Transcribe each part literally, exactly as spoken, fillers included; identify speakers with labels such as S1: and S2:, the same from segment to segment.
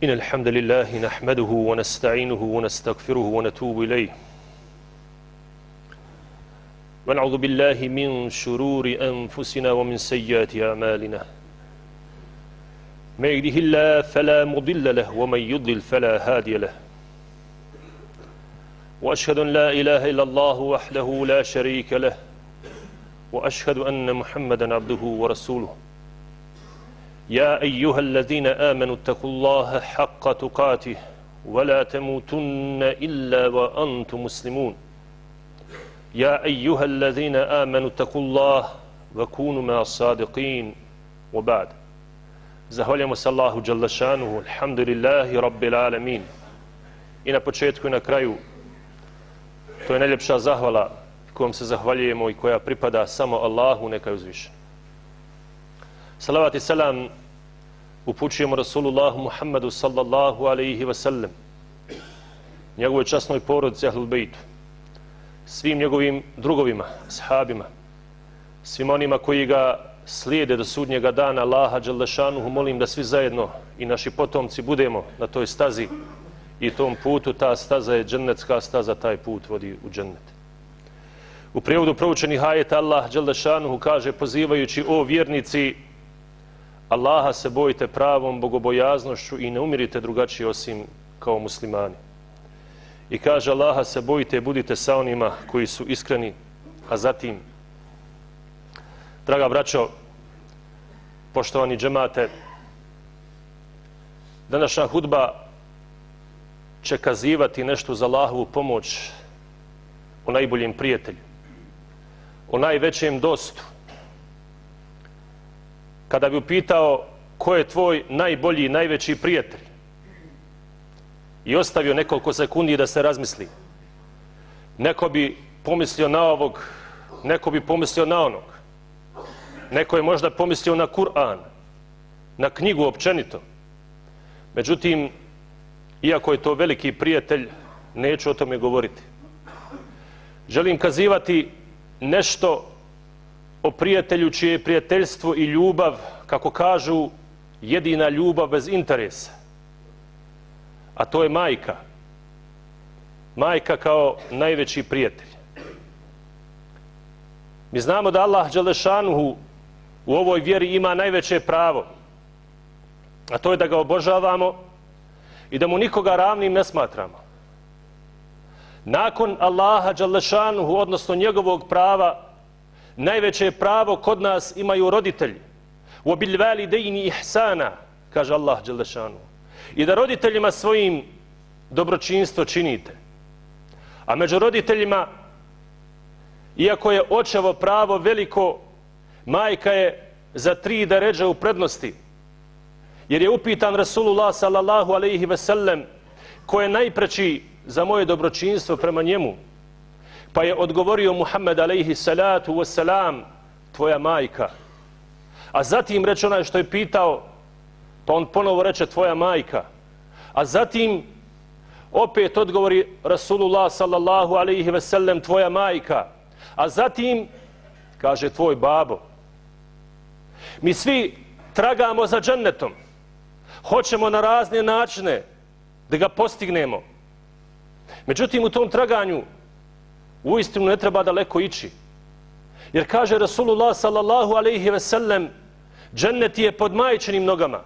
S1: إن الحمد لله نحمده ونستعينه ونستغفره ونتوب إليه ونعوذ بالله من شرور أنفسنا ومن سيئات أعمالنا من يهده الله فلا مضل له ومن يضلل فلا هادي له وأشهد أن لا إله إلا الله وحده لا شريك له وأشهد أن محمدا عبده ورسوله يا أيها الذين آمنوا اتقوا الله حق تقاته ولا تموتن إلا وأنتم مسلمون يا أيها الذين آمنوا اتقوا الله وكونوا مع الصادقين وبعد Zahvaljujemo se Allahu dželle šanuhu, alhamdulillahi rabbil alamin. I na početku i na kraju, to je najljepša zahvala kojom se zahvaljujemo i koja pripada samo Allahu, neka je uzvišen. Salavat i selam upućujemo Rasulullahu Muhammedu sallallahu alaihi wa sallam, njegovoj časnoj porodici Ahlul Bejtu, svim njegovim drugovima, ashabima, svim onima koji ga slijede do sudnjega dana. Allaha dželle šanuhu molim da svi zajedno i naši potomci budemo na toj stazi i tom putu. Ta staza je džennetska staza, taj put vodi u džennet. U prijevodu proučenih ajeta Allah dželle šanuhu kaže, pozivajući: o vjernici, Allaha se bojite pravom bogobojaznošću i ne umirite drugačije osim kao muslimani. I kaže, Allaha se bojite, budite sa onima koji su iskreni. A zatim, draga braćo, poštovani džemate, današnja hudba će kazivati nešto za Allahovu pomoć, o najboljem prijatelju, o najvećem dostu. Kada bi upitao ko je tvoj najbolji, najveći prijatelj i ostavio nekoliko sekundi da se razmisli, neko bi pomislio na ovog, neko bi pomislio na onog, neko je možda pomislio na Kur'an, na knjigu općenito. Međutim, iako je to veliki prijatelj, neću o tome govoriti. Želim kazivati nešto o prijatelju čije je prijateljstvo i ljubav, kako kažu, jedina ljubav bez interesa. A to je majka. Majka kao najveći prijatelj. Mi znamo da Allah dželle šanuhu u ovoj vjeri ima najveće pravo, a to je da ga obožavamo i da mu nikoga ravnim ne smatramo. Nakon Allaha dželle šanuhu, odnosno njegovog prava, najveće pravo kod nas imaju roditelji. وَبِلْ وَالِدَيْنِ إِحْسَانًا, kaže Allah dželle šanuhu. I da roditeljima svojim dobročinstvo činite. A među roditeljima, iako je očevo pravo veliko, majka je za tri deredže u prednosti. Jer je upitan Rasulullah sallallahu alaihi ve sellem ko je najpreći za moje dobročinstvo prema njemu. Pa je odgovorio Muhammed alaihi salatu wassalam, tvoja majka. A zatim reče onaj što je pitao, pa on ponovo reče tvoja majka. A zatim opet odgovori Rasulullah sallallahu alaihi ve sellem, tvoja majka. A zatim kaže tvoj babo. Mi svi tragamo za džennetom. Hoćemo na razne načine da ga postignemo. Međutim, u tom traganju uistinu ne treba daleko ići. Jer kaže Rasulullah sallallahu alaihi ve sellem, džennet je pod majčinim nogama.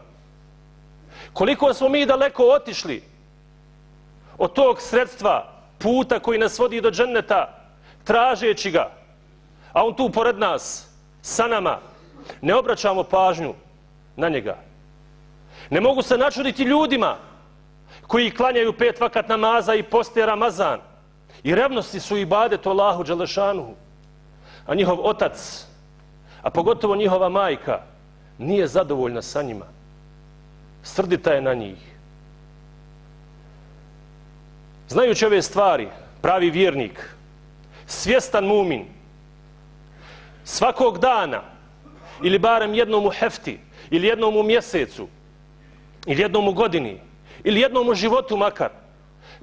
S1: Koliko smo mi daleko otišli od tog sredstva, puta koji nas vodi do dženneta, tražeći ga, a on tu pored nas, sa nama, ne obraćamo pažnju na njega. Ne mogu se načuditi ljudima koji klanjaju pet vakat namaza i poste Ramazan i revnosti su ibadet Allahu dželle šanuhu, a njihov otac, a pogotovo njihova majka, nije zadovoljna sa njima. Srdita je na njih. Znajući ove stvari, pravi vjernik, svjestan mumin, svakog dana, ili barem jednom u hefti, ili jednom u mjesecu, ili jednom u godini, ili jednom u životu makar,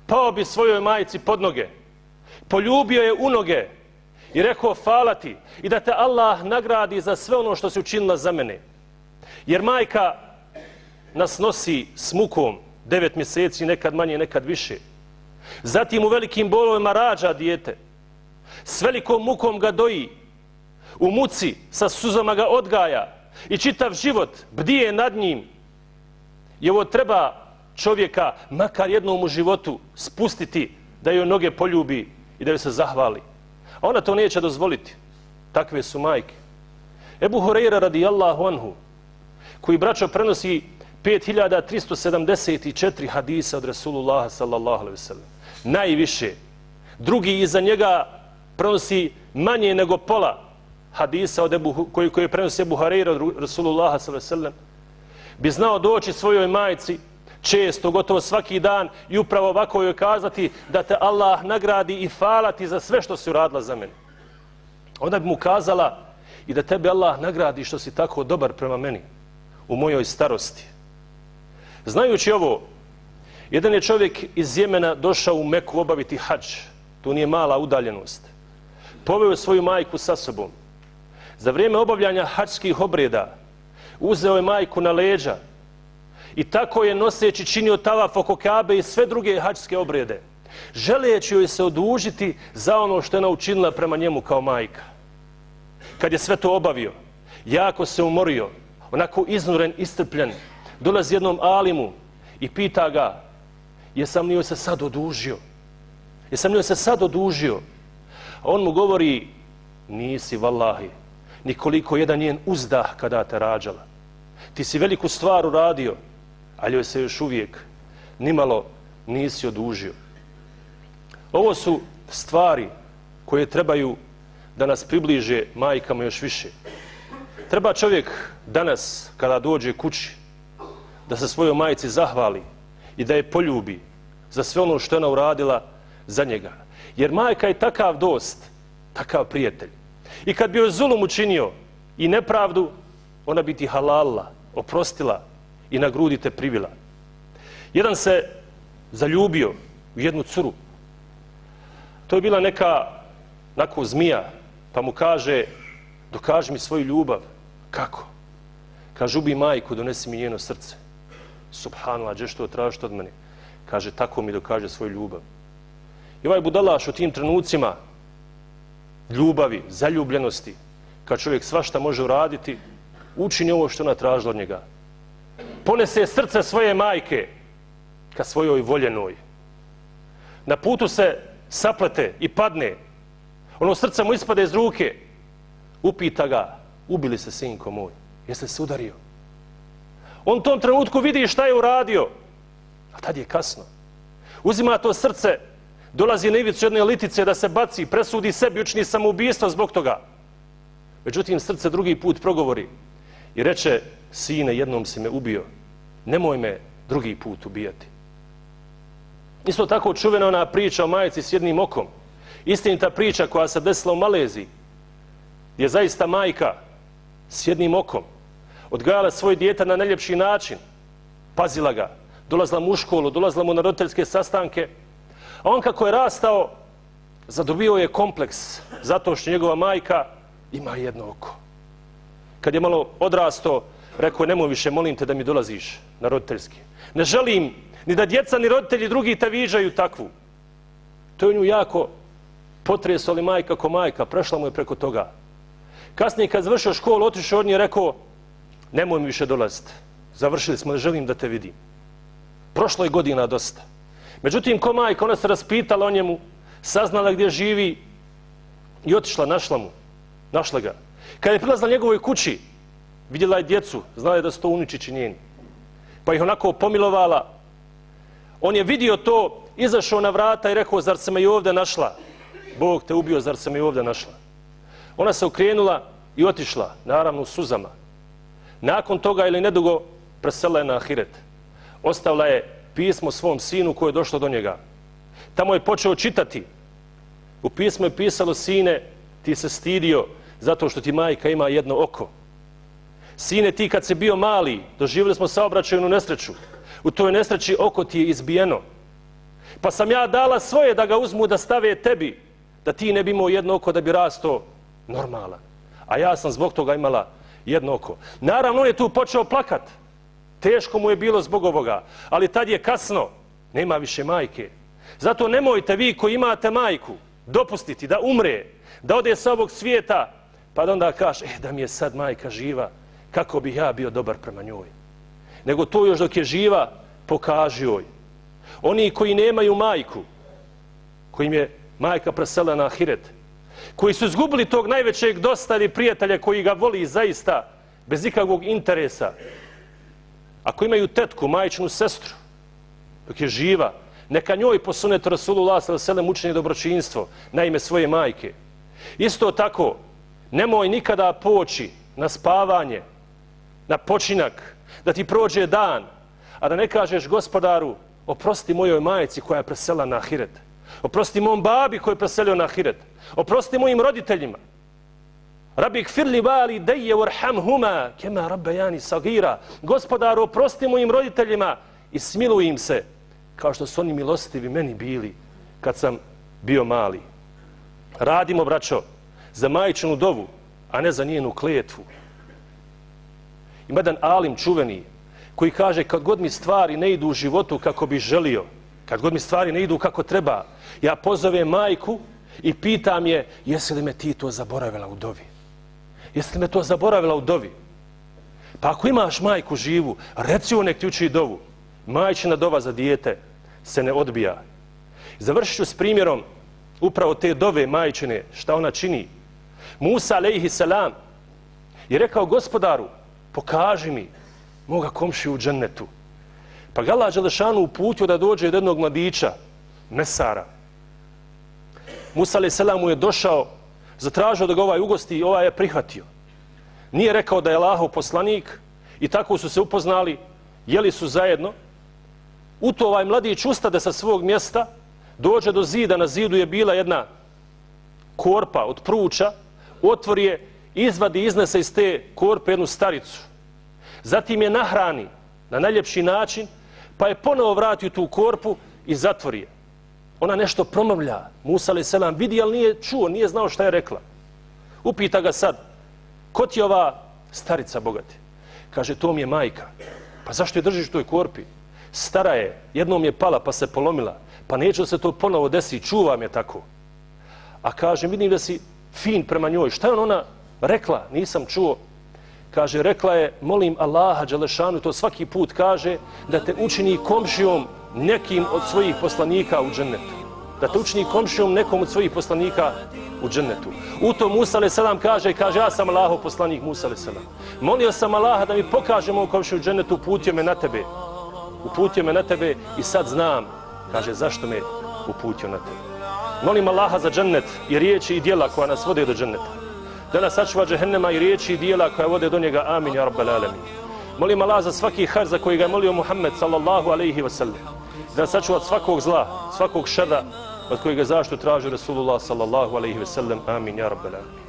S1: pao bi svojoj majci pod noge, poljubio je u noge i rekao hvala ti i da te Allah nagradi za sve ono što si učinila za mene. Jer majka nas nosi s mukom devet mjeseci, nekad manje, nekad više. Zatim u velikim bolovima rađa dijete. S velikom mukom ga doji. U muci sa suzama ga odgaja. I čitav život bdije nad njim. I ovo treba čovjeka makar jednom u životu spustiti da joj noge poljubi i da joj se zahvali. A ona to neće dozvoliti. Takve su majke. Ebu Hureyre radijallahu anhu, koji braćo prenosi pet hiljada tristo sedamdeset četiri hadisa od Rasulullaha sallallahu alejhi ve sellem. Najviše. Drugi iza njega prenosi manje nego pola hadisa od Ebu, koji, koji prenosi Ebu Hureyre od Rasulullaha sallallahu alejhi ve sellem. Bi znao doći svojoj majci često, gotovo svaki dan i upravo ovako joj kazati da te Allah nagradi i hvala ti za sve što si uradila za mene. Onda bi mu kazala i da tebe Allah nagradi što si tako dobar prema meni u mojoj starosti. Znajući ovo, jedan je čovjek iz Jemena došao u Meku obaviti hadž. To nije mala udaljenost. Poveo svoju majku sa sobom. Za vrijeme obavljanja hadžskih obreda uzeo je majku na leđa i tako je noseći činio tavaf oko Kabe i sve druge hadžske obrede, želeći joj se odužiti za ono što je ona učinila prema njemu kao majka. Kad je sve to obavio, jako se umorio, onako iznuren, istrpljen, dolazi jednom alimu i pita ga, jesam li joj se sad odužio? Jesam li joj se sad odužio? A on mu govori, nisi vallahi, nikoliko jedan njen uzdah kada te rađala. Ti si veliku stvar uradio, ali joj se još uvijek nimalo nisi odužio. Ovo su stvari koje trebaju da nas približe majkama još više. Treba čovjek danas, kada dođe kući, da se svojoj majci zahvali i da je poljubi za sve ono što je ona uradila za njega. Jer majka je takav dost, takav prijatelj. I kad bi joj zulum učinio i nepravdu, ona bi ti halalila, oprostila i na grudi te privila. Jedan se zaljubio u jednu curu. To je bila neka nako zmija, pa mu kaže, dokaži mi svoju ljubav. Kako? Kaže, ubi majku, donesi mi njeno srce. Subhanallah, gdje što tražiš od mene? Kaže, tako mi dokaže svoju ljubav. I ovaj budalaš u tim trenucima ljubavi, zaljubljenosti, kad čovjek svašta može uraditi, učini ovo što ona tražila od njega. Ponese srce svoje majke ka svojoj voljenoj. Na putu se saplete i padne. Ono srce mu ispade iz ruke. Upita ga, ubili se sinko moj, jeste se udario? On u tom trenutku vidi šta je uradio, a tad je kasno. Uzima to srce, dolazi na ivicu jedne litice da se baci, presudi sebi, učini samoubistvo zbog toga. Međutim, srce drugi put progovori i reče, sine, jednom si me ubio, nemoj me drugi put ubijati. Isto tako čuvena ona priča o majici s jednim okom. Istinita priča koja se desila u Maleziji, gdje zaista majka s jednim okom odgajala svoj dijete na najljepši način, pazila ga, dolazila mu u školu, dolazila mu na roditeljske sastanke, a on kako je rastao, zadobio je kompleks zato što njegova majka ima jedno oko. Kad je malo odrastao, rekao je, nemoj više, molim te da mi dolaziš na roditeljski. Ne želim ni da djeca ni roditelji drugi te viđaju takvu. To je nju jako potreslo, ali majka ko majka, prešla mu je preko toga. Kasnije kad završio školu, otišao od nje, rekao, nemoj mi više dolaziti. Završili smo, ne želim da te vidim. Prošlo je godina dosta. Međutim, ko majka, ona se raspitala o njemu, saznala gdje živi i otišla, našla mu. Našla ga. Kad je prilazila njegovoj kući, vidjela je djecu, znala je da su to unučići njeni. Pa ih onako pomilovala. On je vidio to, izašao na vrata i rekao, zar se me i ovdje našla? Bog te ubio, zar se me i ovdje našla? Ona se okrenula i otišla, naravno u suzama. Nakon toga ili nedugo preselila je na ahiret. Ostavila je pismo svom sinu koje je došlo do njega. Tamo je počeo čitati. U pismu je pisalo, sine, ti se stidio zato što ti majka ima jedno oko. Sine, ti kad si bio mali, doživjeli smo saobraćajnu nesreću. U toj nesreći oko ti je izbijeno. Pa sam ja dala svoje da ga uzmu da stave tebi, da ti ne bi imao jedno oko da bi rastao normalan. A ja sam zbog toga imala jedno oko. Naravno, on je tu počeo plakat. Teško mu je bilo zbog ovoga, ali tad je kasno, nema više majke. Zato nemojte vi koji imate majku dopustiti da umre, da ode sa ovog svijeta, pa da onda kaže, eh, da mi je sad majka živa, kako bih ja bio dobar prema njoj. Nego to još dok je živa, pokaži joj. Oni koji nemaju majku, kojim je majka presela na ahiret, koji su izgubili tog najvećeg dostavi prijatelja koji ga voli zaista, bez ikakvog interesa. Ako imaju tetku, majčinu sestru, dok je živa, neka njoj po sunetu Rasulullah sallallahu alejhi ve sellem učini dobročinstvo na ime svoje majke. Isto tako, nemoj nikada poći na spavanje, na počinak, da ti prođe dan, a da ne kažeš gospodaru, oprosti mojoj majci koja je presela na ahiret. Oprosti mom babi koji je preselio na ahiret. Oprosti mojim roditeljima. Rabbi gfirli vali deje warhamhuma kema rabbejani sagira. Gospodaru, oprosti mojim roditeljima i smiluj im se kao što su oni milostivi meni bili kad sam bio mali. Radimo, braćo, za majčinu dovu, a ne za njenu kletvu. Ima jedan alim čuveni koji kaže kad god mi stvari ne idu u životu kako bi želio, kad god mi stvari ne idu kako treba, ja pozovem majku i pitam je jesi li me ti to zaboravila u dovi? Jesi li me to zaboravila u dovi? Pa ako imaš majku živu, reci joj nek ti uči dovu. Majčina dova za dijete se ne odbija. Završit ću s primjerom upravo te dove majčine, šta ona čini. Musa alejhi selam je rekao gospodaru, pokaži mi moga komšiju u džennetu. Pa ga Allah dželešanu uputio da dođe od jednog mladića, mesara. Musa alejhi selam mu je došao, zatražio da ga ovaj ugosti i ovaj je prihvatio. Nije rekao da je Allahov poslanik i tako su se upoznali, jeli su zajedno. U to ovaj mladić ustade sa svog mjesta, dođe do zida, na zidu je bila jedna korpa od pruča, otvori je, izvadi, iznese iz te korpe jednu staricu. Zatim je nahrani na najljepši način, pa je ponovo vrati u tu korpu i zatvori je. Ona nešto promrmlja. Musa alejhi selam vidi, ali nije čuo, nije znao šta je rekla. Upita ga sad, ko ti je ova starica bogati? Kaže, to mi je majka. Pa zašto je držiš u toj korpi? Stara je, jednom je pala pa se polomila. Pa neće da se to ponovo desi, čuvam je tako. A kaže, vidim da si fin prema njoj. Šta je ona rekla? Nisam čuo. Kaže, rekla je, molim Allaha dželešanu, to svaki put kaže, da te učini komšijom nekim od svojih poslanika u džennetu. Da te učini komšijom nekom od svojih poslanika u džennetu. U to Musa alejhi selam kaže, kaže, ja sam Allahov poslanik Musa alejhi selam. Molio sam Allaha da mi pokaže moj komšiju u džennetu, uputio me na tebe. Uputio me na tebe i sad znam, kaže, zašto me uputio na tebe. Molim Allaha za džennet i riječi i dijela koja nas vode do dženneta. Da nas sačuva džehennema i riječi i dijela koja vode do njega. Amin, ja rabbal alamin. Molim Allah za svaki har za koji ga je molio Muhammed sallallahu alejhi ve sellem. Da nas sačuva od svakog zla, svakog šada od kojeg je zaštitu tražio Rasulullah sallallahu alejhi ve sellem. Amin, ja rabbal alamin.